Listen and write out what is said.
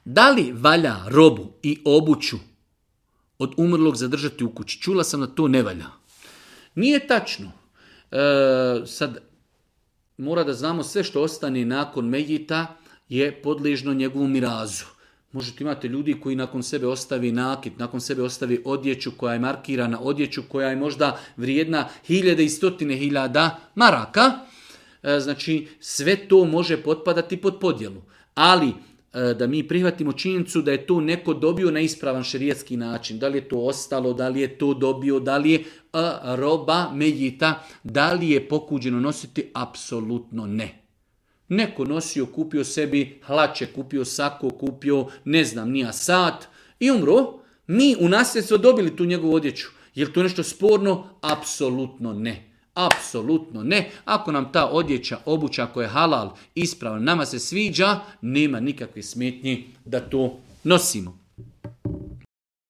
Da li valja robu i obuću od umrlog zadržati u kući? Čula sam da to ne valja. Nije tačno. Sad mora da znamo sve što ostane nakon Mejita je podležno njegovom mirazu. Možete imati ljudi koji nakon sebe ostavi nakit, nakon sebe ostavi odjeću koja je markirana, odjeću koja je možda vrijedna 1000 i 100.000 maraka. Znači sve to može potpadati pod podjelu. Ali da mi prihvatimo činjenicu da je to neko dobio na ispravan šerijatski način. Da li je to ostalo, da li je to dobio, da li je roba Mejita, da li je pokuđeno nositi? Apsolutno ne. Neko nosio, kupio sebi hlače, kupio sako, kupio ne znam nija sat i umro. Mi u nasljedstvo dobili tu njegovu odjeću. Je li to nešto sporno? Apsolutno ne. Apsolutno ne. Ako nam ta odjeća, obuća koja je halal, ispravna, nama se sviđa, nema nikakve smetnje da to nosimo.